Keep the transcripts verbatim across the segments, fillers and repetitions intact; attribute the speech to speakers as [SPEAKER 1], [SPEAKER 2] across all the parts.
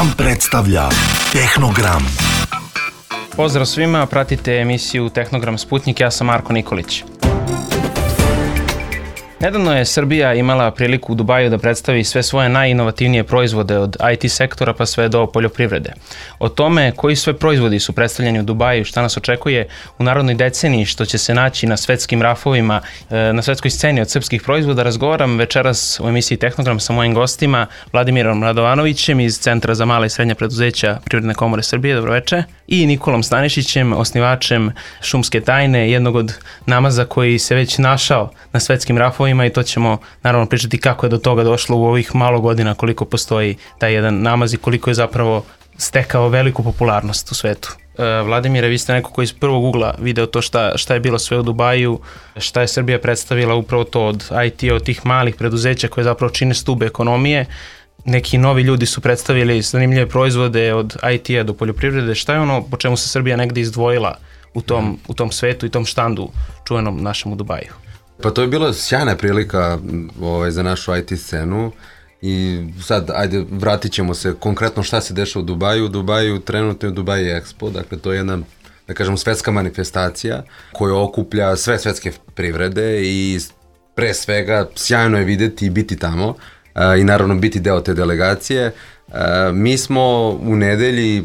[SPEAKER 1] Vam predstavlja Tehnogram.
[SPEAKER 2] Pozdrav svima, pratite emisiju Tehnogram Sputnik, ja sam Marko Nikolić. Nedavno je Srbija imala priliku u Dubaju da predstavi sve svoje najinovativnije proizvode od I T sektora pa sve do poljoprivrede. O tome koji sve proizvodi su predstavljeni u Dubaju, šta nas očekuje u narodnoj deceniji, što će se naći na svetskim rafovima, na svetskoj sceni od srpskih proizvoda, razgovaram večeras u emisiji Tehnogram sa mojim gostima Vladimirom Radovanovićem iz Centra za mala i srednja preduzeća Privredne komore Srbije, dobroveče, i Nikolom Stanišićem, osnivačem Šumske tajne, jednog od namaza koji se već našao na svetskim rafovima, i to ćemo naravno pričati kako je do toga došlo u ovih malo godina, koliko postoji taj jedan namaz i koliko je zapravo stekao veliku popularnost u svetu. E, Vladimire, vi ste neko koji iz prvog ugla video to šta, šta je bilo sve u Dubaju, šta je Srbija predstavila upravo to od I T, od tih malih preduzeća koje zapravo čine stube ekonomije. Neki novi ljudi su predstavili zanimljive proizvode od I T-a do poljoprivrede. Šta je ono po čemu se Srbija negde izdvojila u tom, u tom svetu i tom štandu čuvenom našem u Dubaju?
[SPEAKER 3] Pa to je bila sjajna prilika ovaj, za našu I T scenu i sad, ajde, vratit ćemo se konkretno šta se dešava u Dubaju. U Dubaju trenutno je Dubai Expo, dakle to je jedna, da kažemo, svetska manifestacija koja okuplja sve svetske privrede i pre svega sjajno je videti i biti tamo a, i naravno biti deo te delegacije. A, mi smo u nedelji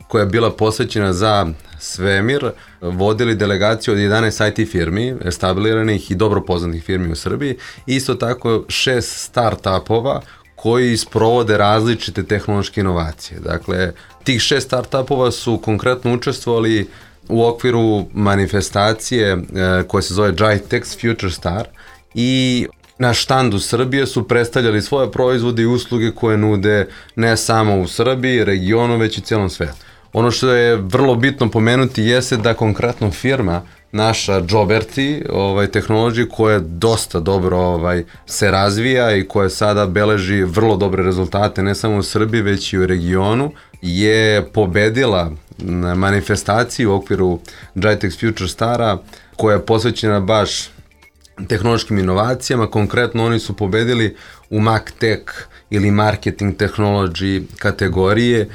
[SPEAKER 3] koja je bila posvećena za svemir, vodili delegaciju od jedanaest I T firmi, establiranih i dobro poznatih firmi u Srbiji, isto tako šest start-upova koji sprovode različite tehnološke inovacije. Dakle, tih šest start-upova su konkretno učestvovali u okviru manifestacije e, koja se zove GITEX Future Star i na štandu Srbije su predstavljali svoje proizvode i usluge koje nude ne samo u Srbiji, regionu, već i cijelom svetu. Ono što je vrlo bitno pomenuti jeste da konkretno firma, naša Joberti, ovaj, tehnologija koja dosta dobro ovaj, se razvija i koja sada beleži vrlo dobre rezultate ne samo u Srbiji već i u regionu, je pobedila na manifestaciji u okviru GITEX Future Stara koja je posvećena baš tehnološkim inovacijama. Konkretno oni su pobedili u MarTech ili Marketing Technology kategorije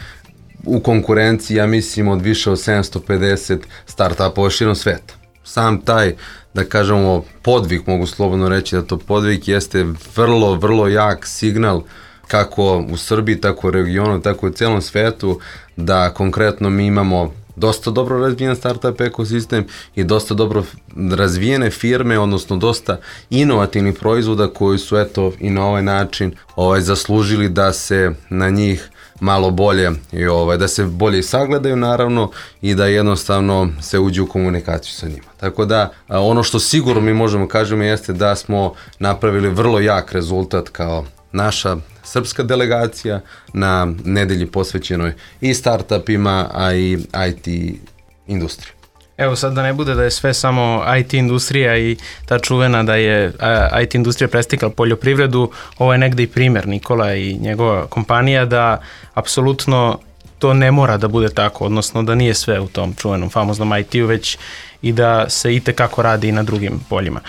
[SPEAKER 3] u konkurenciji, ja mislim, od više od sedamsto pedeset startupova širom sveta. Sam taj, da kažemo, podvig, mogu slobodno reći da to podvig, jeste vrlo, vrlo jak signal kako u Srbiji, tako u regionu, tako u celom svetu, da konkretno mi imamo dosta dobro razvijen startup ekosistem i dosta dobro razvijene firme, odnosno dosta inovativnih proizvoda koji su eto i na ovaj način ovaj, zaslužili da se na njih malo bolje i ovaj, da se bolje sagledaju naravno i da jednostavno se uđe u komunikaciju sa njima. Tako da ono što sigurno mi možemo kažemo jeste da smo napravili vrlo jak rezultat kao naša srpska delegacija na nedelji posvećenoj i startupima, a i I T industriji.
[SPEAKER 2] Evo sad da ne bude da je sve samo I T industrija i ta čuvena da je I T industrija prestikla poljoprivredu, ovo je negde i primer Nikola i njegova kompanija da apsolutno to ne mora da bude tako, odnosno da nije sve u tom čuvenom famoznom I T-u, već i da se itekako radi i na drugim poljima.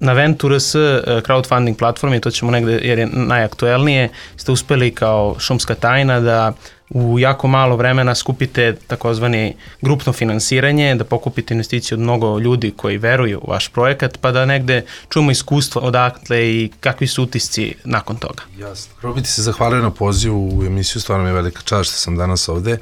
[SPEAKER 2] Na Venture.rs crowdfunding platformi, to ćemo negde jer je najaktuelnije, ste uspeli kao Šumska tajna da u jako malo vremena skupite takozvani grupno finansiranje, da pokupite investiciju od mnogo ljudi koji veruju u vaš projekat, pa da negde čujemo iskustva odakle i kakvi su utisci nakon toga.
[SPEAKER 4] Jasno. Prvo bi ti se zahvalio na pozivu u emisiju, stvarno mi je velika čast što sam danas ovde.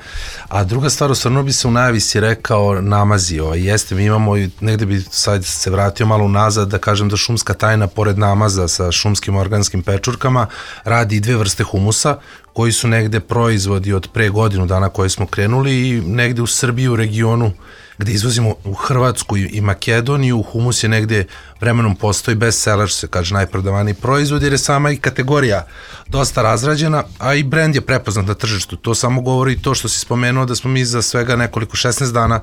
[SPEAKER 4] A druga stvar, osvrnuo bi se u najavi si rekao namazi. Ovaj, jeste, mi imamo, negde bi sad se vratio malo unazad da kažem da Šumska tajna, pored namaza sa šumskim organskim pečurkama, radi i dve vrste humusa, koji su negde proizvodi od pre godinu dana koje smo krenuli i negde u Srbiji, u regionu gde izvozimo u Hrvatsku i Makedoniju, humus je negde vremenom postoji bestseller, što se kaže najprodavaniji proizvod, jer je sama i kategorija dosta razrađena, a i brend je prepoznat na tržištu. To samo govori to što si spomenuo da smo mi za svega nekoliko šesnaest dana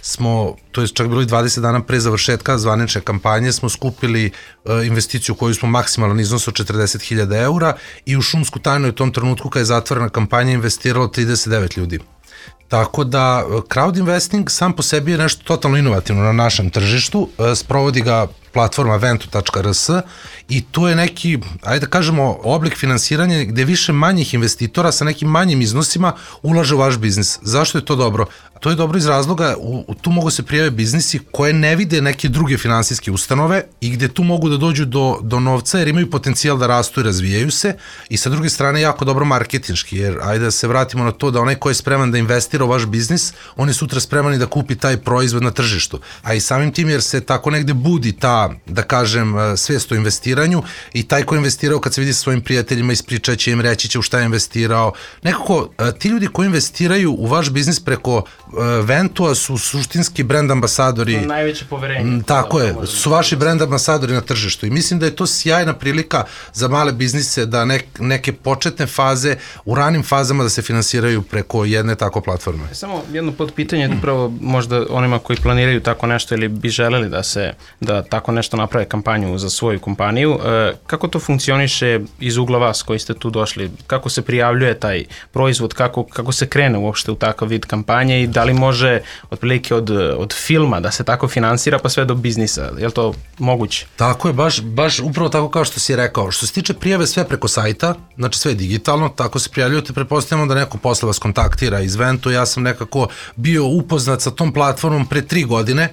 [SPEAKER 4] smo, to je čak bilo i dvadeset dana pre završetka zvanične kampanje, smo skupili uh, investiciju koju smo maksimalan iznos od četrdeset hiljada eura i u Šumsku tajnu u tom trenutku kada je zatvorena kampanja investiralo trideset devet ljudi. Tako da crowd investing sam po sebi je nešto totalno inovativno na našem tržištu, sprovodi ga platforma ventu tačka r s i to je neki, ajde da kažemo, oblik finansiranja gde više manjih investitora sa nekim manjim iznosima ulaže u vaš biznis. Zašto je to dobro? To je dobro iz razloga, u, u tu mogu se prijave biznisi koje ne vide neke druge finansijske ustanove i gde tu mogu da dođu do, do novca jer imaju potencijal da rastu i razvijaju se i sa druge strane jako dobro marketinški, jer ajde da se vratimo na to da onaj ko je spreman da investira u vaš biznis, on je sutra spreman i da kupi taj proizvod na tržištu. A i samim tim jer se tako negde budi ta, da kažem, svest o investiranju i taj ko je investirao kad se vidi sa svojim prijateljima ispričaće im, reći će u šta je investirao. Nekako, ti ljudi koji investiraju u vaš biznis preko Ventua su suštinski brand ambasadori.
[SPEAKER 2] To najveće poverenje.
[SPEAKER 4] Tako je, su vaši brand ambasadori na tržištu i mislim da je to sjajna prilika za male biznise da nek, neke početne faze, u ranim fazama da se finansiraju preko jedne tako platforme.
[SPEAKER 2] Samo jedno podpitanje, upravo možda onima koji planiraju tako nešto ili bi želeli da se, da tako nešto naprave kampanju za svoju kompaniju, kako to funkcioniše iz ugla vas koji ste tu došli? Kako se prijavljuje taj proizvod, kako, kako se krene uopšte u takav vid kampanje i da li može otprilike od, od filma da se tako finansira pa sve do biznisa? Je li to moguće?
[SPEAKER 4] Tako je, baš, baš upravo tako kao što si rekao. Što se tiče prijave sve preko sajta, znači sve je digitalno, tako se prijavljujete, pretpostavljamo da neko posle vas kontaktira iz Ventu. Ja sam nekako bio upoznat sa tom platformom pre tri godine,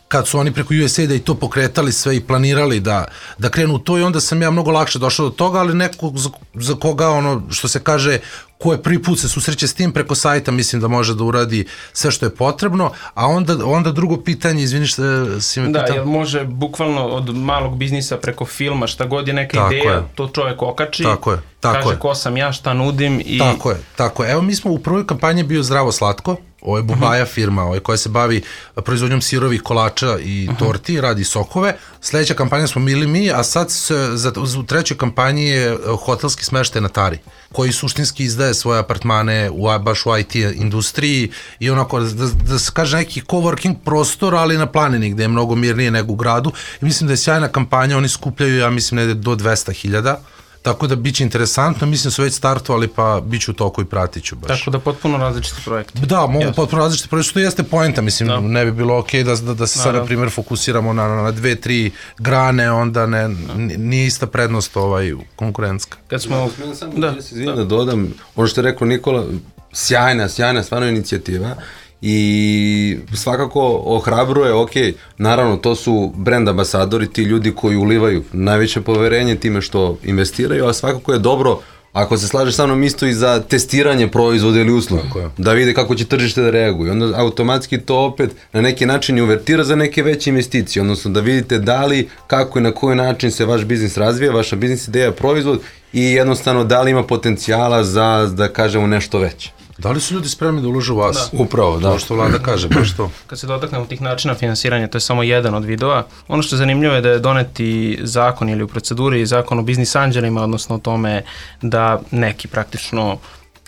[SPEAKER 4] kad su oni preko U S A I D-a i to pokretali sve i planirali da, da krenu u to i onda sam ja mnogo lakše došao do toga, ali neko za, za koga ono što se kaže ko je prvi put se susreće s tim preko sajta, mislim da može da uradi sve što je potrebno, a onda, onda drugo pitanje, izvini što si me
[SPEAKER 2] da,
[SPEAKER 4] pitao.
[SPEAKER 2] Da, jer može bukvalno od malog biznisa preko filma, šta god je neka tako ideja, je. To čovjek okači,
[SPEAKER 4] tako je, tako
[SPEAKER 2] kaže
[SPEAKER 4] je.
[SPEAKER 2] Ko sam ja, šta nudim i...
[SPEAKER 4] Tako je, tako je. Evo mi smo u prvoj kampanji bio Zdravo slatko, ovo je Bubaja uh-huh. firma ovo je koja se bavi proizvodnjom sirovih kolača i uh-huh. torti, radi sokove. Sledeća kampanja smo bili mi, a sad se, za, u trećoj kampanji je hotelski smeštaj na Tari, koji suštinski izdaje svoje apartmane u, baš u I T industriji i onako, da, da se kaže neki coworking prostor, ali na planini gde je mnogo mirnije nego u gradu. I mislim da je sjajna kampanja, oni skupljaju, ja mislim, negde do dvesta hiljada. Tako da biće interesantno, mislim da su već startovali, pa bit ću u toku i pratit ću baš.
[SPEAKER 2] Tako da potpuno različiti projekti.
[SPEAKER 4] Da, mogu yes. potpuno različiti projekti, što jeste poenta, mislim, da. Ne bi bilo okej okay da, da, da se sad, na primjer, fokusiramo na, na dve, tri grane, onda ne, nije ista prednost ovaj, konkurentska.
[SPEAKER 2] Kad smo...
[SPEAKER 3] Da, samo da, da se izvijem da dodam, ono što je rekao Nikola, sjajna, sjajna stvarno inicijativa, i svakako ohrabruje, ok, naravno to su brand ambasadori, ti ljudi koji ulivaju najveće poverenje time što investiraju, a svakako je dobro ako se slažeš sa mnom isto i za testiranje proizvoda ili usluga, da vide kako će tržište da reaguje, onda automatski to opet na neki način i uvertira za neke veće investicije, odnosno da vidite da li, kako i na koji način se vaš biznis razvija, vaša biznis ideja, proizvod i jednostavno da li ima potencijala za, da kažemo, nešto veće.
[SPEAKER 4] Da li su ljudi spremni da ulože u vas?
[SPEAKER 2] Da.
[SPEAKER 4] Upravo, da. To što Vlada kaže, baš to.
[SPEAKER 2] Kad se dotaknemo tih načina finansiranja, to je samo jedan od vidova. Ono što je zanimljivo je da je doneti zakon ili u proceduri zakon o biznis anđelima, odnosno o tome da neki praktično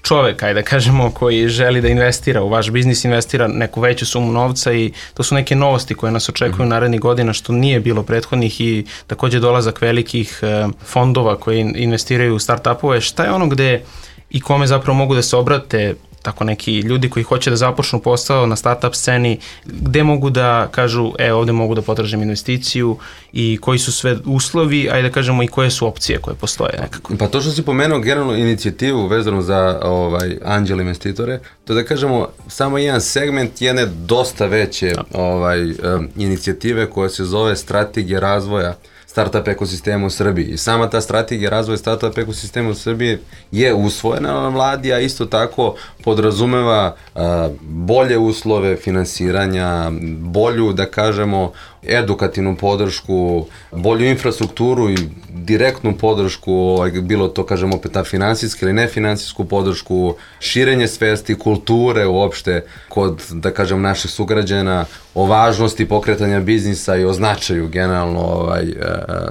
[SPEAKER 2] čovek, ajde da kažemo, koji želi da investira u vaš biznis, investira neku veću sumu novca i to su neke novosti koje nas očekuju mm-hmm. narednih godina, što nije bilo prethodnih i takođe dolazak velikih fondova koji investiraju u start-upove. Šta je ono gde i kome zapravo mogu da se obrate tako neki ljudi koji hoće da započnu posao na startup sceni, gde mogu da kažu, e, ovde mogu da potražim investiciju i koji su sve uslovi, ajde da kažemo i koje su opcije koje postoje nekako.
[SPEAKER 3] Pa to što si pomenuo generalno inicijativu vezano za ovaj, anđel investitore, to da kažemo samo jedan segment jedne dosta veće ovaj, um, inicijative koja se zove strategija razvoja startup ekosistema u Srbiji. I sama ta strategija razvoja startup ekosistema u Srbiji je usvojena na vladi, a isto tako podrazumeva uh, bolje uslove finansiranja, bolju, da kažemo, edukativnu podršku, bolju infrastrukturu i direktnu podršku, ovaj, bilo to, kažemo, opet ta finansijska ili nefinansijsku podršku, širenje svesti, kulture uopšte kod, da kažem, naših sugrađana o važnosti pokretanja biznisa i o značaju generalno ovaj,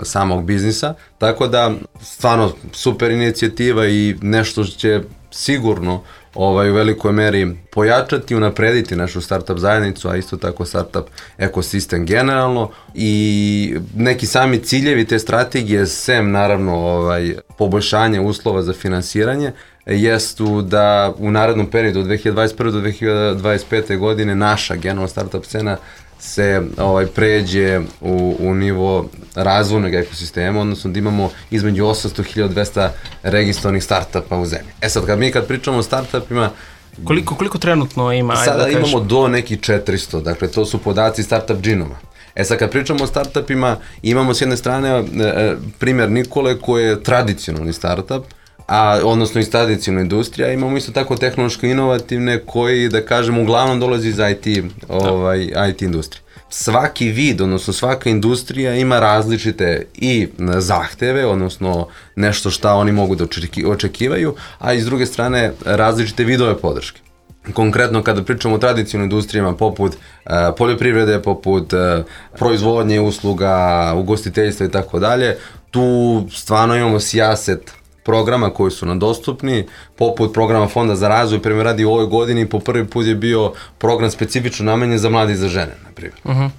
[SPEAKER 3] samog biznisa. Tako da, stvarno, super inicijativa i nešto će sigurno ovaj, u velikoj meri pojačati, unaprediti našu startup zajednicu, a isto tako startup ekosistem generalno i neki sami ciljevi te strategije, sem naravno ovaj, poboljšanje uslova za finansiranje, jestu da u narednom periodu od dve hiljade dvadeset prve do dve hiljade dvadeset pete godine naša generalna startup scena se ovaj, pređe u, u nivo razvojnog ekosistema, odnosno da imamo između osamsto do hiljadu dvesta registrovanih startupa u zemlji. E sad, kad mi kad pričamo o startupima,
[SPEAKER 2] Koliko, koliko trenutno ima?
[SPEAKER 3] Sada
[SPEAKER 2] da
[SPEAKER 3] imamo do nekih četiristo, dakle to su podaci Startup Genoma. E sad kad pričamo o startupima, imamo s jedne strane e, primjer Nikole koji je tradicionalni startup, a, odnosno iz tradicionalna industrija, imamo isto tako tehnološko inovativne koji, da kažemo, uglavnom dolazi iz I T, ovaj, I T industrije. Svaki vid, odnosno svaka industrija ima različite i zahteve, odnosno nešto šta oni mogu da očekivaju, a i s druge strane različite vidove podrške. Konkretno kada pričamo o tradicionalnim industrijama poput uh, poljoprivrede, poput uh, proizvodnje, usluga, ugostiteljstva i tako dalje, tu stvarno imamo sijaset programa koji su nam dostupni, poput programa Fonda za razvoj, primjer radi u ovoj godini po prvi put je bio program specifično namenjen za mlade i za žene, na primjer. Uh-huh.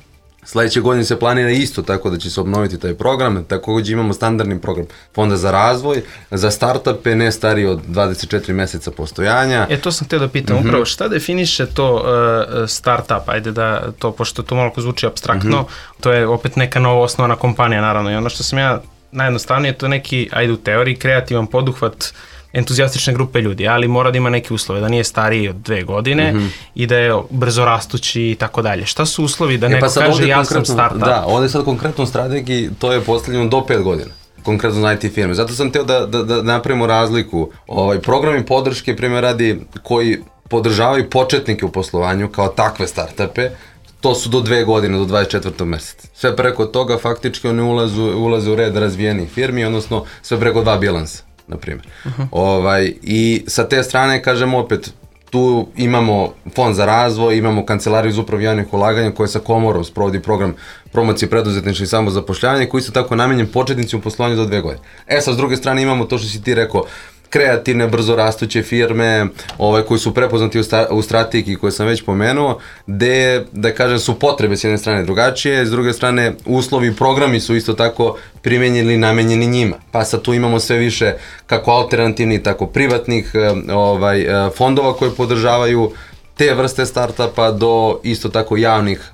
[SPEAKER 3] Sledeće godine se planira isto tako da će se obnoviti taj program, takođe imamo standardni program Fonda za razvoj, za startupe ne stariji od dvadeset četiri meseca postojanja.
[SPEAKER 2] E, to sam htio da pitam, uh-huh. upravo šta definiše to uh, startup, ajde da to, pošto to malo zvuči apstraktno, uh-huh. to je opet neka novo osnovana kompanija, naravno, i ono što sam ja najjednostavnije, to je neki, ajde u teoriji, kreativan poduhvat entuzijastične grupe ljudi, ali mora da ima neke uslove, da nije stariji od dve godine mm-hmm. i da je brzo rastući i tako dalje. Šta su uslovi da neko e pa kaže ja sam startup?
[SPEAKER 3] Da, ovdje sad konkretno u strategiji to je postavljeno do pet godina, konkretno za I T firme. Zato sam teo da, da, da napravimo razliku. Ovaj, programi podrške, primjer radi, koji podržavaju početnike u poslovanju kao takve startupe, to su do dve godine, do dvadeset četvrtog meseca. Sve preko toga faktički oni ulazu, ulaze u red razvijenih firmi, odnosno sve preko dva bilansa, na primjer. Uh-huh. Ovaj, i sa te strane, kažemo opet, tu imamo Fond za razvoj, imamo Kancelariju za upravu javnih ulaganja koja sa Komorom sprovodi program promocije preduzetništva i samozapošljavanja koji su tako namenjen početnicima u poslovanju do dve godine. E sad, s druge strane imamo to što si ti rekao, kreativne, brzo rastuće firme ovaj, koji su prepoznati u, sta, u strategiji koje sam već pomenuo, gde, da kažem, su potrebe s jedne strane drugačije, s druge strane uslovi i programi su isto tako primenjeni i namenjeni njima. Pa sad tu imamo sve više kako alternativnih, tako privatnih ovaj, fondova koje podržavaju te vrste startupa do isto tako javnih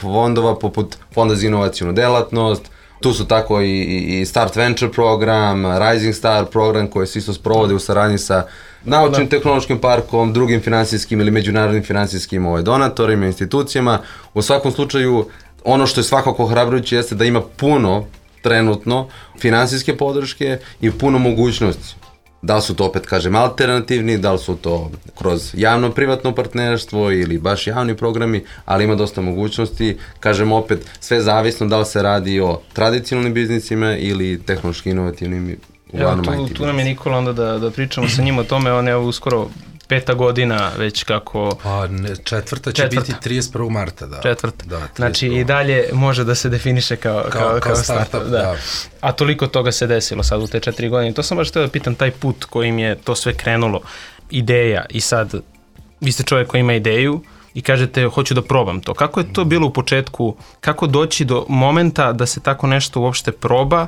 [SPEAKER 3] fondova poput Fonda za inovacijnu delatnost. Tu su tako i, i Start Venture program, Rising Star program koji se isto sprovode u saradnji sa naučnim tehnološkim parkom, drugim finansijskim ili međunarodnim finansijskim ovaj, donatorima, institucijama. U svakom slučaju, ono što je svakako ohrabrujuće jeste da ima puno trenutno finansijske podrške i puno mogućnosti. Da li su to, opet kažem, alternativni, da li su to kroz javno-privatno partnerstvo ili baš javni programi, ali ima dosta mogućnosti. Kažem opet, sve zavisno da li se radi o tradicionalnim biznisima ili tehnološki inovativnim uglavnom I T.
[SPEAKER 2] Evo, tu, tu nam je Nikola onda da, da pričamo sa njim o tome, on je uskoro peta godina već kako...
[SPEAKER 4] Pa ne, četvrta će četvrta. biti trideset prvog marta, da.
[SPEAKER 2] Četvrta. Da, znači i dalje može da se definiše kao, kao, kao, kao startup. startup da. Da. A toliko toga se desilo sad u te četiri godine. To sam baš htio da pitam, taj put kojim je to sve krenulo, ideja i sad, vi ste čovjek koji ima ideju i kažete hoću da probam to. Kako je to bilo u početku, kako doći do momenta da se tako nešto uopšte proba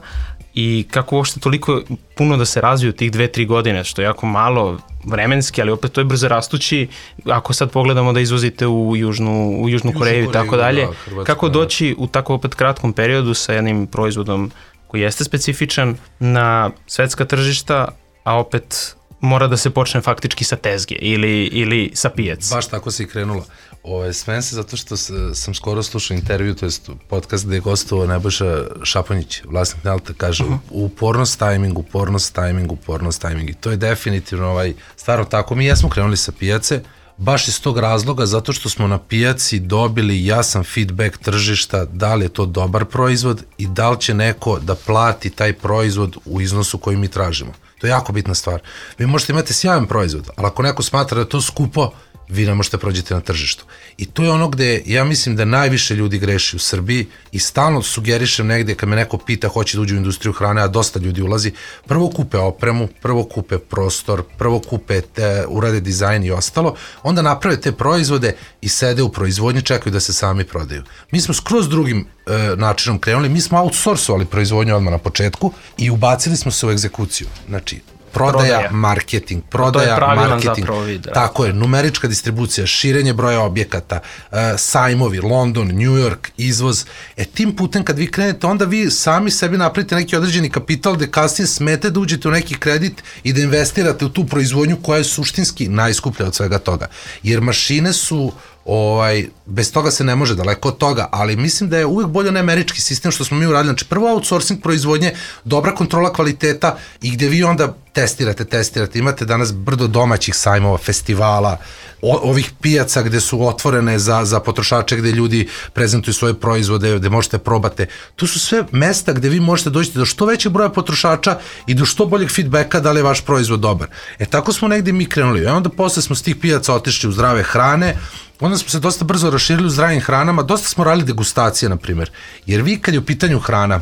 [SPEAKER 2] i kako uopšte toliko puno da se razviju tih dve, tri godine, što je jako malo vremenski, ali opet to je brzo rastući. Ako sad pogledamo da izvozite u Južnu, u Južnu Koreju i tako dalje, da, kako doći u tako opet kratkom periodu sa jednim proizvodom koji jeste specifičan na svetska tržišta, a opet mora da se počne faktički sa tezge ili, ili sa pijac.
[SPEAKER 4] Baš tako se i krenulo. Ove, smem se zato što sam skoro slušao intervju, to jest podcast gde je gostovao Nebojša Šaponjić, vlasnik Nelta, kaže uh-huh. upornost tajming, upornost tajming, upornost tajming. I to je definitivno ovaj, stvarno tako. Mi jesmo krenuli sa pijace, baš iz tog razloga, zato što smo na pijaci dobili jasan feedback tržišta da li je to dobar proizvod i da li će neko da plati taj proizvod u iznosu koji mi tražimo. To je jako bitna stvar. Vi možete imati sjajan proizvod, ali ako neko smatra da je to skupo, vi ne možete prođete na tržištu. I to je ono gde ja mislim da najviše ljudi greši u Srbiji i stalno sugerišem negde kad me neko pita hoće da uđe u industriju hrane, a dosta ljudi ulazi, prvo kupe opremu, prvo kupe prostor, prvo kupe te, urade dizajn i ostalo, onda naprave te proizvode i sede u proizvodnji, čekaju da se sami prodaju. Mi smo skroz drugim e, načinom krenuli, mi smo outsourcovali proizvodnju odmah na početku i ubacili smo se u egzekuciju. Znači, prodaja,
[SPEAKER 2] Prodaja.
[SPEAKER 4] marketing,
[SPEAKER 2] To je
[SPEAKER 4] prodaja,
[SPEAKER 2] pravilan
[SPEAKER 4] marketing.
[SPEAKER 2] zapravo vid, da.
[SPEAKER 4] Tako je, numerička distribucija, širenje broja objekata, uh, sajmovi, London, New York, izvoz. E tim putem kad vi krenete, onda vi sami sebi napravite neki određeni kapital gde kasnije smete da uđete u neki kredit i da investirate u tu proizvodnju koja je suštinski najskuplja od svega toga. Jer mašine su ovaj, bez toga se ne može, daleko od toga, ali mislim da je uvek bolje onaj američki sistem što smo mi uradili. Znači, prvo outsourcing proizvodnje, dobra kontrola kvaliteta i gde vi onda testirate, testirate. Imate danas brdo domaćih sajmova, festivala, o, ovih pijaca gde su otvorene za, za potrošače, gde ljudi prezentuju svoje proizvode, gde možete probate. Tu su sve mesta gde vi možete doći do što većeg broja potrošača i do što boljeg feedbacka da li je vaš proizvod dobar. E tako smo negde mi krenuli. E onda posle smo s tih pijaca otišli u zdrave hrane, onda smo se dosta brzo raširili u zdravim hranama, dosta smo radili degustacije, na primjer. Jer vi kad je u pitanju hrana,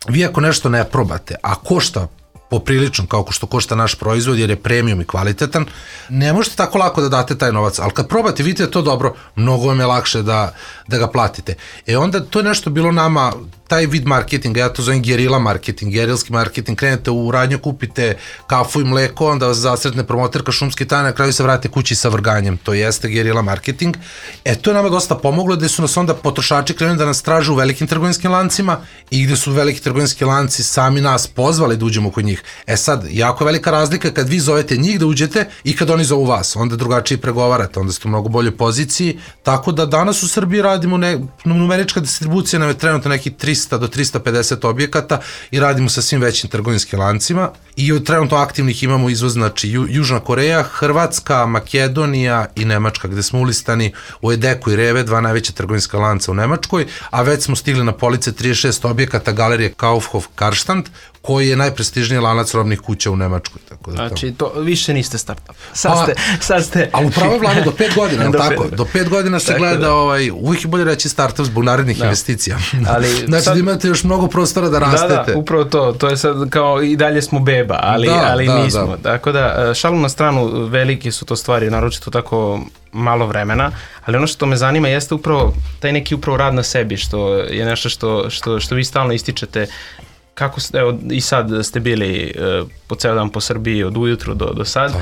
[SPEAKER 4] vi ako nešto ne probate, a košta poprilično kao što košta naš proizvod jer je premium i kvalitetan, ne možete tako lako da date taj novac, ali kad probate, vidite da to dobro, mnogo vam je lakše da, da ga platite. E onda to je nešto bilo nama, taj vid marketinga, ja to zovem gerila marketing, gerilski marketing, krenete u radnju, kupite kafu i mleko, onda vas zasretne promoterka šumski taj, na kraju se vrate kući sa vrganjem, to jeste gerila marketing. E to je nama dosta pomoglo, gde su nas onda potrošači krenuli da nas traže u velikim trgovinskim lancima i gde su veliki trgovinski lanci sami nas pozvali da uđemo kod njih. E sad, jako velika razlika kad vi zovete njih da uđete i kad oni zovu vas, onda drugačije pregovarate, onda ste u mnogo boljoj poziciji, tako da danas u Srbiji radimo, ne, numerička distribucija nam je trenutno neki trista do trista pedeset objekata i radimo sa svim većim trgovinskim lancima i od trenutno aktivnih imamo izvoz, znači Ju, Južna Koreja, Hrvatska, Makedonija i Nemačka, gde smo ulistani u Edeku i Reve, dva najveća trgovinska lanca u Nemačkoj, a već smo stigli na police trideset šest objekata galerije Kaufhof Karstadt, koji je najprestižniji lanac robnih kuća u Nemačkoj. Tako da
[SPEAKER 2] znači, to više niste startup. Sad
[SPEAKER 4] pa,
[SPEAKER 2] ste, sad ste...
[SPEAKER 4] Ali upravo je vlada do pet godina, do tako? Pet. Do pet godina se gleda, da. ovaj, uvijek je bolje reći startup zbog narednih da. investicija.
[SPEAKER 2] Ali,
[SPEAKER 4] znači
[SPEAKER 2] sad,
[SPEAKER 4] da imate još mnogo prostora da rastete.
[SPEAKER 2] Da, da, upravo to. To je sad kao i dalje smo beba, ali, da, ali da, nismo. Da. Tako da, šalu na stranu, velike su to stvari, naročito tako malo vremena, ali ono što me zanima jeste upravo taj neki upravo rad na sebi, što je nešto što, što, što vi stalno ističete. Kako ste, evo, i sad ste bili uh, po ceo dan po Srbiji od ujutru do, do sad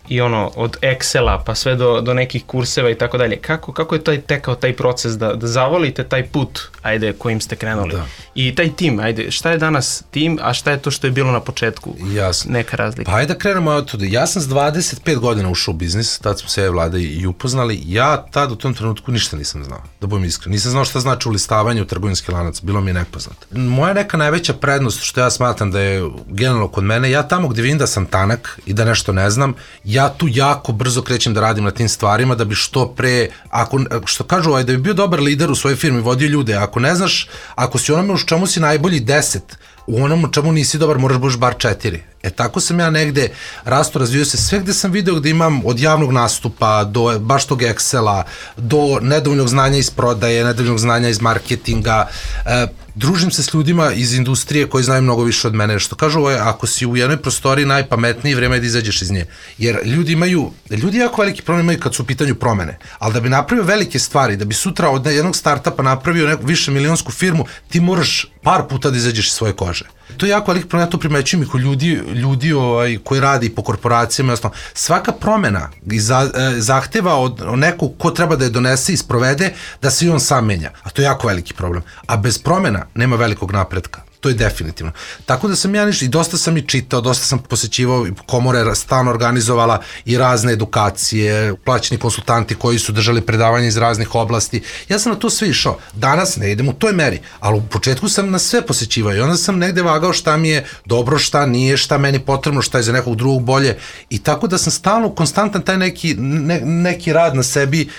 [SPEAKER 2] i ono, od Excela pa sve do, do nekih kurseva i tako dalje. Kako, kako je taj tekao taj proces da, da zavolite taj put, ajde, kojim ste krenuli? Da. I taj tim, ajde, šta je danas tim, a šta je to što je bilo na početku?
[SPEAKER 4] Jasno.
[SPEAKER 2] Neka razlika.
[SPEAKER 4] Pa ajde da krenemo od tuda. Ja sam s dvadeset pet godina ušao u biznis, tad smo se ja i Vlada i upoznali. Ja tad u tom trenutku ništa nisam znao, da budem iskren. Nisam znao šta znači ulistavanje u trgovinski lanac, bilo mi je nepoznato. Moja neka najveća prednost, što ja smatram da je generalno kod mene, ja tamo gde vidim da sam tanak i da nešto ne znam, ja tu jako brzo krećem da radim na tim stvarima da bi što pre, ako, što kažu, ovaj, da bi bio dobar lider u svojoj firmi, vodio ljude, ako ne znaš, ako si onome u čemu si najbolji deset, u onom u čemu nisi dobar moraš budeš bar četiri. E tako sam ja negde rasto razvio se sve gde sam video gde imam od javnog nastupa do baš tog Excela, do nedovoljnog znanja iz prodaje, nedovoljnog znanja iz marketinga, e, družim se s ljudima iz industrije koji znaju mnogo više od mene, što kažu ovo je, ako si u jednoj prostoriji najpametniji, vreme je da izađeš iz nje. Jer ljudi imaju, ljudi jako veliki problem imaju kad su u pitanju promene, ali da bi napravio velike stvari, da bi sutra od jednog startupa napravio neku više milionsku firmu, ti moraš par puta da izađeš iz svoje kože. To je jako veliki problem, ja to primećujem i kod ljudi, ljudi ovaj, koji radi po korporacijama, jasno, svaka promena za, eh, zahteva od nekog ko treba da je donese i sprovede, da se i on sam menja, a to je jako veliki problem. A bez promena nema velikog napretka. To je definitivno. Tako da sam ja niš, i dosta sam i čitao, dosta sam posećivao, komore stalno organizovala i razne edukacije, plaćeni konsultanti koji su držali predavanje iz raznih oblasti. Ja sam na to sve išao. Danas ne idem u toj meri, ali u početku sam na sve posećivao i onda sam negde vagao šta mi je dobro, šta nije, šta meni potrebno, šta je za nekog drugog bolje. I tako da sam stalno, konstantan taj neki, ne, neki rad na sebi.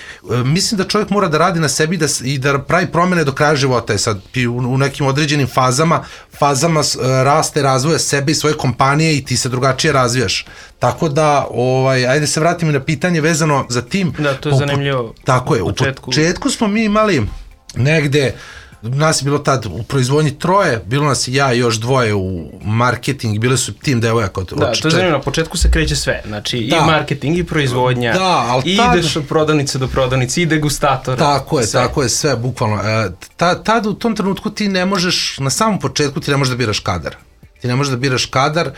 [SPEAKER 4] Mislim da čovjek mora da radi na sebi da, i da pravi promene do kraja života. Je sad u, u nekim određenim fazama fazama raste, razvoja sebe i svoje kompanije i ti se drugačije razvijaš. Tako da, ovaj, ajde se vratimo na pitanje vezano za tim.
[SPEAKER 2] Da, to je po, zanimljivo.
[SPEAKER 4] Tako je, u početku. u početku smo mi imali negde, nas je bilo tad u proizvodnji troje, bilo nas i ja i još dvoje u marketing, bile su tim devojaka. Od,
[SPEAKER 2] da, to je zanimljivo, na početku se kreće sve, znači da. I marketing i proizvodnja, da, i tad, ideš od prodavnice do prodavnice, i degustator.
[SPEAKER 4] Tako je, sve. tako je, sve, bukvalno. E, ta, tad u tom trenutku ti ne možeš, na samom početku ti ne možeš da biraš kadar. ti ne možeš da biraš kadar,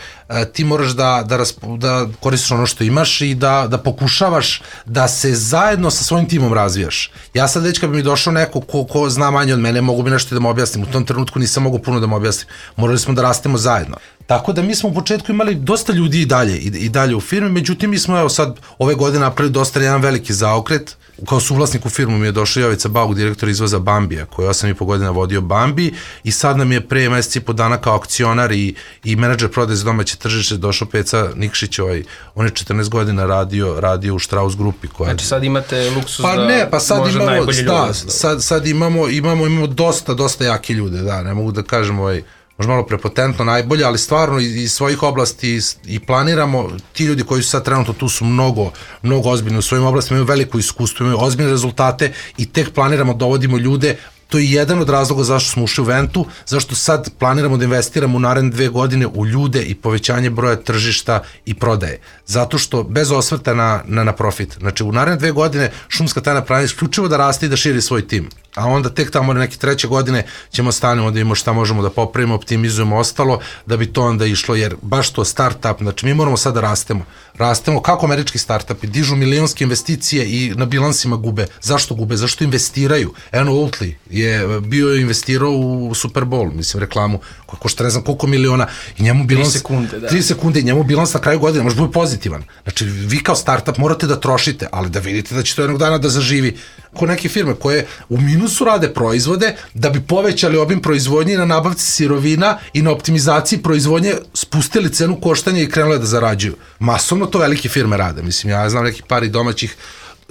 [SPEAKER 4] ti moraš da, da, raspo, da koristiš ono što imaš i da, da pokušavaš da se zajedno sa svojim timom razvijaš. Ja sad već kad bi mi došao neko ko, ko zna manje od mene, mogu bi nešto da mu objasnim. U tom trenutku nisam mogu puno da mu objasnim. Morali smo da rastemo zajedno. Tako da mi smo u početku imali dosta ljudi i dalje, i, i dalje u firmi, međutim mi smo evo sad ove godine napravili dosta jedan veliki zaokret. Kao suvlasnik u firmu mi je došao Jovica Bauk, direktor izvoza Bambija, koji je osam i po godina vodio Bambi i sad nam je pre meseci i po dana kao akcionar i, i menadžer prodaje za domaće tržište došao Peca Nikšić, ovaj, on je četrnaest godina radio, radio u Strauss grupi. Koja
[SPEAKER 2] znači sad imate luksus
[SPEAKER 4] pa
[SPEAKER 2] da
[SPEAKER 4] ne, pa sad
[SPEAKER 2] može
[SPEAKER 4] imamo,
[SPEAKER 2] najbolji
[SPEAKER 4] da,
[SPEAKER 2] ljudi.
[SPEAKER 4] sad, sad imamo, imamo, imamo dosta, dosta jaki ljude, da, ne mogu da kažem ovaj, možda malo prepotentno najbolje, ali stvarno iz svojih oblasti i planiramo, ti ljudi koji su sad trenutno tu su mnogo, mnogo ozbiljni u svojim oblastima, imaju veliko iskustvo, imaju ozbiljne rezultate i tek planiramo, dovodimo ljude. To je jedan od razloga zašto smo ušli u Ventu, zašto sad planiramo da investiramo u naredne dve godine u ljude i povećanje broja tržišta i prodaje. Zato što bez osvrta na, na, na profit. Znači u naredne dve godine šumska tajna planira isključivo da raste i da širi svoj tim. A onda tek tamo neke treće godine ćemo stanemo da imamo šta možemo da popravimo, optimizujemo ostalo, da bi to onda išlo, jer baš to startup, znači mi moramo sad da rastemo. Rastemo kako američki startupi, dižu milionske investicije i na bilansima gube. Zašto gube? Zašto investiraju? Eno Oatly je bio investirao u Super Bowl, mislim, reklamu, koja košta ne znam koliko miliona i njemu bilans...
[SPEAKER 2] tri sekunde, da.
[SPEAKER 4] tri sekunde i njemu bilans na kraju godine može biti pozitivan. Znači, vi kao startup morate da trošite, ali da vidite da će to jednog dana da zaživi. Ko neke firme koje u minusu rade proizvode da bi povećali obim proizvodnje na nabavci sirovina i na optimizaciji proizvodnje spustili cenu koštanja i krenule da zarađuju. Masovno to velike firme rade. Mislim, ja znam nekih pari domaćih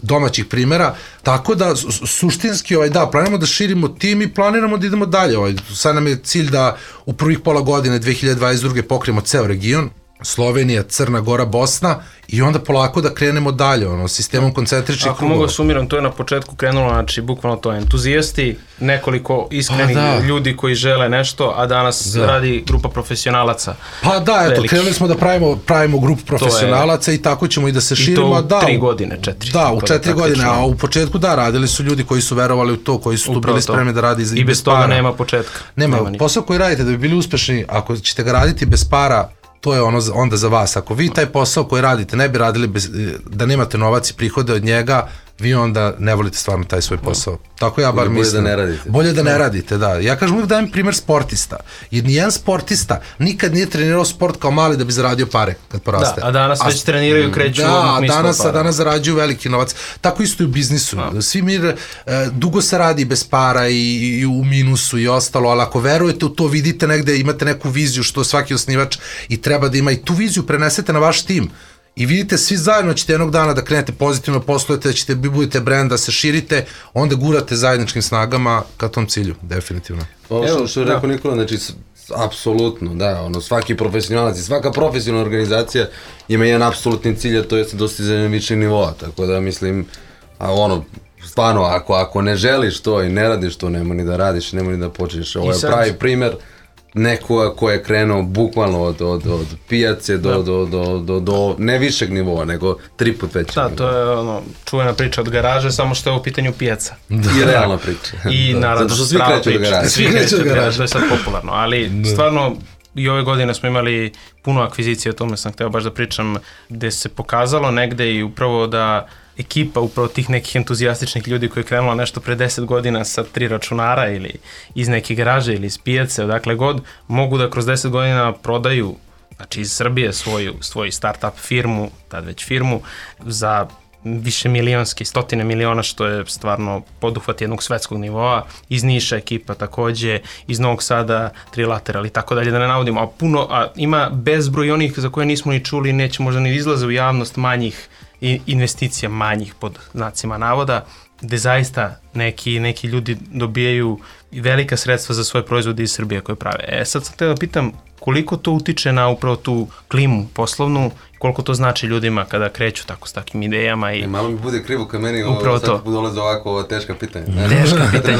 [SPEAKER 4] domaćih primjera, tako da suštinski ovaj, da, planiramo da širimo tim i planiramo da idemo dalje. Ovaj. Sad nam je cilj da u prvih pola godine dve hiljade dvadeset druge pokrijemo ceo region, Slovenija, Crna Gora, Bosna i onda polako da krenemo dalje, ono, sistemom koncentričnih krugova.
[SPEAKER 2] Ako mogu da sumiram, to je na početku krenulo, znači, bukvalno to entuzijasti, nekoliko iskrenih
[SPEAKER 4] da.
[SPEAKER 2] ljudi koji žele nešto, a danas da. radi grupa profesionalaca.
[SPEAKER 4] Pa da, eto, veliki. Krenuli smo da pravimo, pravimo grupu profesionalaca je, i tako ćemo i da se širimo.
[SPEAKER 2] I to u
[SPEAKER 4] da,
[SPEAKER 2] tri godine, četiri.
[SPEAKER 4] Da, u četiri godine, a u početku da, radili su ljudi koji su verovali u to, koji su tu bili spremni da radi i,
[SPEAKER 2] i bez toga para. Nema početka.
[SPEAKER 4] Nema, nema posao koji radite da bi bili uspešni, ako ćete ga raditi bez para, to je ono onda za vas. Ako vi taj posao koji radite ne bi radili bez, da nemate novac i prihode od njega, vi onda ne volite stvarno taj svoj posao. No. Tako ja bar bolje mislim.
[SPEAKER 3] Bolje da ne radite.
[SPEAKER 4] Bolje da ne no. radite, da. Ja kažem uvijek dajem primjer sportista. Jer nijedan sportista nikad nije trenirao sport kao mali da bi zaradio pare kad poraste.
[SPEAKER 2] Da, a danas već treniraju, kreću
[SPEAKER 4] da, danas, a danas zarađuju veliki novac. Tako isto i u biznisu. No. Svi mi e, dugo se radi bez para i, i u minusu i ostalo, ali ako verujete u to, vidite negde, imate neku viziju što svaki osnivač i treba da ima i tu viziju prenesete na vaš tim. I vidite, svi zajedno ćete jednog dana da krenete pozitivno, poslujete, da ćete, budete brand, da se širite, onda gurate zajedničkim snagama ka tom cilju, definitivno.
[SPEAKER 3] Ovo što, što je rekao da. Nikola, znači, apsolutno, da, ono, svaki profesionalac i svaka profesionalna organizacija ima jedan apsolutni cilj, a to je dostizanje višeg nivoa, tako da mislim, a ono, stvarno, ako, ako ne želiš to i ne radiš to, nema ni da radiš, nema ni da počneš. Ovo je pravi primjer nekoga ko je krenuo bukvalno od, od, od pijace do, da. do, do, do, do ne višeg nivoa, nego tri put većeg
[SPEAKER 2] da,
[SPEAKER 3] nivoa.
[SPEAKER 2] To je ono, čuvena priča od garaže, samo što je u pitanju pijaca.
[SPEAKER 3] Da. I realna priča.
[SPEAKER 2] I
[SPEAKER 3] da.
[SPEAKER 2] naravno,
[SPEAKER 3] zato što svi kreću od garaže.
[SPEAKER 2] Svi kreću od garaže, to je sad popularno, ali da. stvarno i ove godine smo imali puno akvizicije, o tome sam hteo baš da pričam, gde se pokazalo negde i upravo da ekipa upravo tih nekih entuzijastičnih ljudi koji je krenula nešto pre deset godina sa tri računara ili iz neke garaže ili iz pijace, odakle god, mogu da kroz deset godina prodaju, znači iz Srbije svoju, svoju startup firmu, tad već firmu, za više milionski, stotine miliona, što je stvarno poduhvat jednog svetskog nivoa, iz Niša ekipa takođe, iz Novog Sada Trilateral i tako dalje, da ne navodimo, a puno, a ima bezbroj onih za koje nismo ni čuli, neće možda ni izlaze u javnost manjih i investicija manjih pod znacima navoda, gde zaista neki, neki ljudi dobijaju velika sredstva za svoje proizvode iz Srbije koje prave. E sad sam te da pitam koliko to utiče na upravo tu klimu poslovnu, koliko to znači ljudima kada kreću tako s takim idejama i...
[SPEAKER 3] E, malo mi bude krivo kad meni
[SPEAKER 2] upravo to.
[SPEAKER 3] Sad dolaze ovako ova teška pitanja.
[SPEAKER 2] Teška pitanja,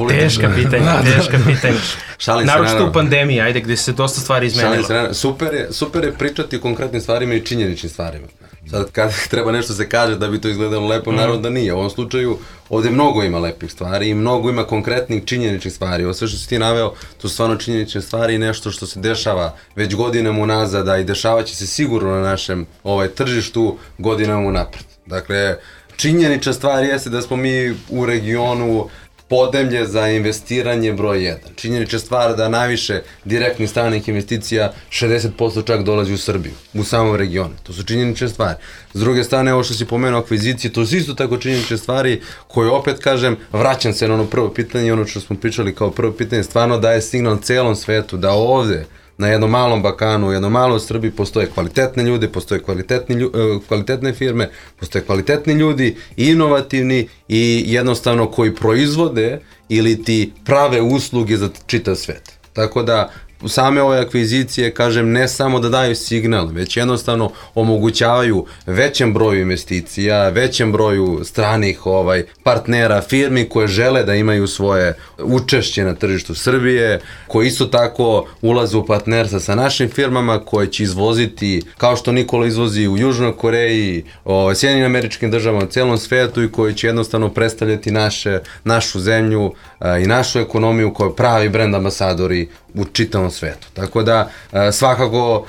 [SPEAKER 2] teška pitanja, teška pitanja. Naročito u pandemiji, ajde, gde se dosta stvari izmenilo.
[SPEAKER 3] Super je, super je pričati o konkretnim stvarima i činjeničnim stvarima. Sad kad treba nešto se kaže da bi to izgledalo lepo, mm. naravno da nije. U ovom slučaju ovde mnogo ima lepih stvari i mnogo ima konkretnih činjeničnih stvari. Ovo sve što si ti naveo, to su stvarno činjenične stvari i nešto što se dešava već godinama unazad, a i dešavaće se sigurno na našem ovaj, tržištu godinama unapred. Dakle, činjenična stvar jeste da smo mi u regionu podemlje za investiranje broj jedan. Činjenična stvar da najviše direktnih stranih investicija, šezdeset posto čak dolazi u Srbiju, u samom regionu. To su činjenične stvari. S druge strane, ovo što si pomenuo akvizicije, to su isto tako činjenične stvari koje, opet kažem, vraćam se na ono prvo pitanje i ono što smo pričali kao prvo pitanje, stvarno daje signal celom svetu da ovde, na jednom malom Balkanu, u jednom malom Srbiji postoje kvalitetne ljude, postoje kvalitetni, lju, kvalitetne firme, postoje kvalitetni ljudi, inovativni i jednostavno koji proizvode ili ti prave usluge za čitav svet. Tako da same ove akvizicije, kažem, ne samo da daju signal, već jednostavno omogućavaju većem broju investicija, većem broju stranih ovaj, partnera, firmi koje žele da imaju svoje učešće na tržištu Srbije, koji isto tako ulaze u partnerstva sa našim firmama koje će izvoziti, kao što Nikola izvozi u Južnoj Koreji, o Sjedinjenim Američkim Državama, u celom svetu i koji će jednostavno predstavljati naše, našu zemlju a, i našu ekonomiju kao pravi brend ambasadori u čitavom svetu. Tako da svakako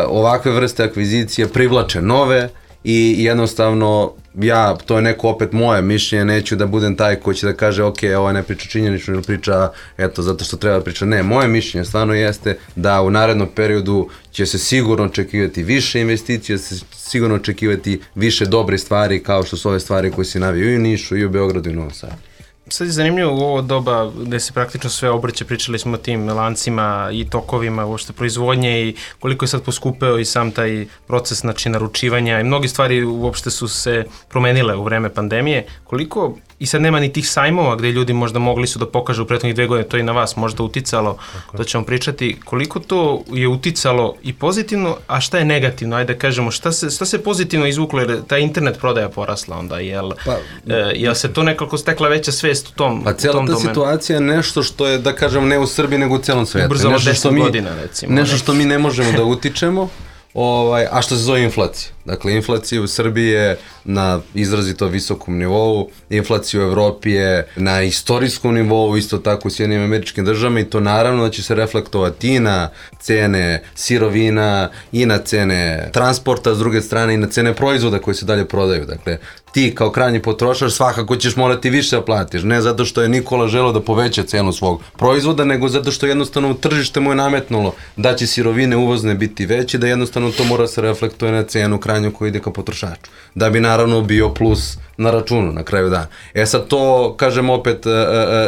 [SPEAKER 3] ovakve vrste akvizicije privlače nove i jednostavno ja, to je neko opet moje mišljenje, neću da budem taj koji će da kaže ok, ovo ne priča činjenično ili priča eto zato što treba da priča. Ne, moje mišljenje stvarno jeste da u narednom periodu će se sigurno očekivati više investicija, će se sigurno očekivati više dobre stvari kao što su ove stvari koje se naviju i u Nišu i u Beogradu i u Novom Sadu.
[SPEAKER 2] Sad je zanimljivo u ovo doba gde se praktično sve obrće, pričali smo o tim lancima i tokovima, uopšte proizvodnje i koliko je sad poskupeo i sam taj proces, znači, naručivanja i mnogi stvari uopšte su se promenile u vreme pandemije. Koliko, i sad nema ni tih sajmova gde ljudi možda mogli su da pokažu u prethodnih dve godine, to je i na vas možda uticalo, tako, to ćemo pričati, koliko to je uticalo i pozitivno, a šta je negativno, ajde da kažemo, šta se, šta se pozitivno izvuklo, jer ta internet prodaja porasla onda, jel, pa, e, jel se to nekako stekla veća svest u tom,
[SPEAKER 3] pa cijela ta domenu? Situacija je nešto što je, da kažemo, ne u Srbiji nego u celom svetu.
[SPEAKER 2] Ubrzalo deset godina, recimo.
[SPEAKER 3] Nešto što mi ne možemo da utičemo, ovaj, a što se zove inflacija. Dakle, inflacija u Srbiji je na izrazito visokom nivou, inflacija u Evropi je na istorijskom nivou, isto tako u Sjedinjenim Američkim Državama i to naravno da će se reflektovati i na cene sirovina i na cene transporta, s druge strane i na cene proizvoda koji se dalje prodaju. Dakle, ti kao krajnji potrošač svakako ćeš morati više da platiš, ne zato što je Nikola želeo da poveća cenu svog proizvoda, nego zato što jednostavno tržište mu je nametnulo da će sirovine uvozne biti veće, da jednostavno to mora se reflektuje na cenu krajnju koji ide ka potrošaču, da bi naravno bio plus na računu na kraju dana. E sad to, kažem opet,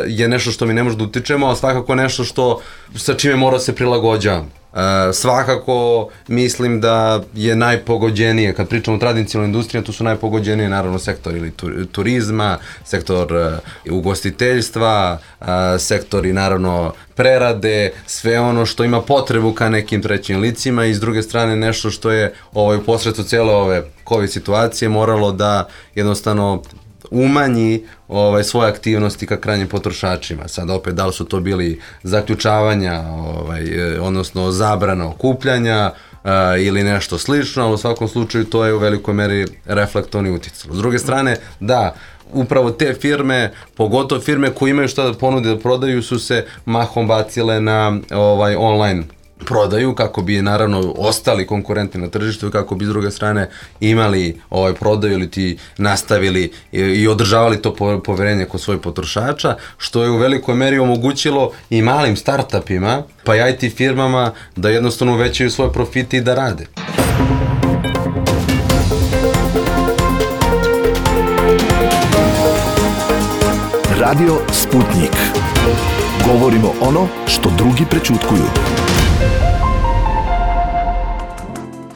[SPEAKER 3] je nešto što mi ne možemo da utičemo, a svakako nešto što, sa čime mora se prilagođavamo. Uh, svakako mislim da je najpogođenije, kad pričamo o tradicionalnoj industriji, tu su najpogođenije naravno sektor ili turizma, sektor uh, ugostiteljstva, uh, sektori naravno prerade, sve ono što ima potrebu ka nekim trećim licima i s druge strane nešto što je ovaj, u posredstvu cijele ove COVID situacije moralo da jednostavno umanji ovaj, svoje aktivnosti ka krajnjim potrošačima. Sad opet, da li su to bili zaključavanja, ovaj, odnosno zabrana okupljanja uh, ili nešto slično, ali u svakom slučaju to je u velikoj meri reflektovno i uticalo. S druge strane, da, upravo te firme, pogotovo firme koje imaju šta da ponude da prodaju, su se mahom bacile na ovaj, online prodaju kako bi naravno ostali konkurenti na tržištu i kako bi s druge strane imali ovaj prodaju ili ti nastavili i, i održavali to poverenje kod svojih potrošača, što je u velikoj meri omogućilo i malim startupima pa i I T firmama da jednostavno uvećaju svoje profite i da rade.
[SPEAKER 1] Radio Sputnik. Govorimo ono što drugi prećutkuju.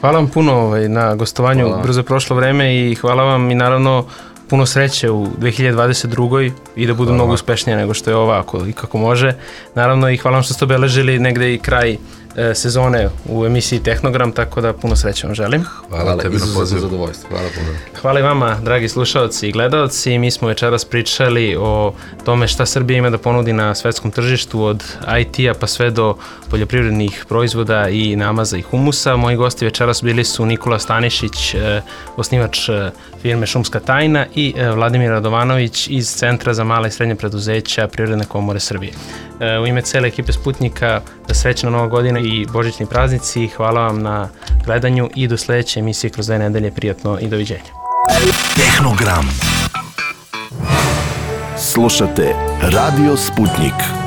[SPEAKER 2] Hvala vam puno ovaj, na gostovanju, hvala. Brzo je prošlo vreme i hvala vam i naravno puno sreće u dve hiljade dvadeset drugoj i da budu hvala. Mnogo uspešnije nego što je ova, ako i kako može. Naravno i hvala vam što ste obeležili negde i kraj e, sezone u emisiji Tehnogram, tako da puno sreće vam želim.
[SPEAKER 4] Hvala,
[SPEAKER 3] Hvala,
[SPEAKER 4] tebi na
[SPEAKER 3] izuzetno
[SPEAKER 4] pozivu.
[SPEAKER 3] zadovoljstvo. Hvala puno.
[SPEAKER 2] Hvala i vama, dragi slušalci i gledalci. Mi smo večeras pričali o tome šta Srbija ima da ponudi na svetskom tržištu, od I T-a pa sve do poljoprivrednih proizvoda i namaza i humusa. Moji gosti večeras bili su Nikola Stanišić, e, osnivač e, firme Šumska tajna, i e, Vladimir Radovanović iz Centra za mala i srednje preduzeća Privredne komore Srbije. E, u ime cele ekipe Sputnika, srećna Nova godina i božićni praznici. Hvala vam na gledanju i do sledeće emisije kroz dve nedelje. Prijatno i doviđenja.
[SPEAKER 1] Tehnogram. Slušate Radio Sputnik.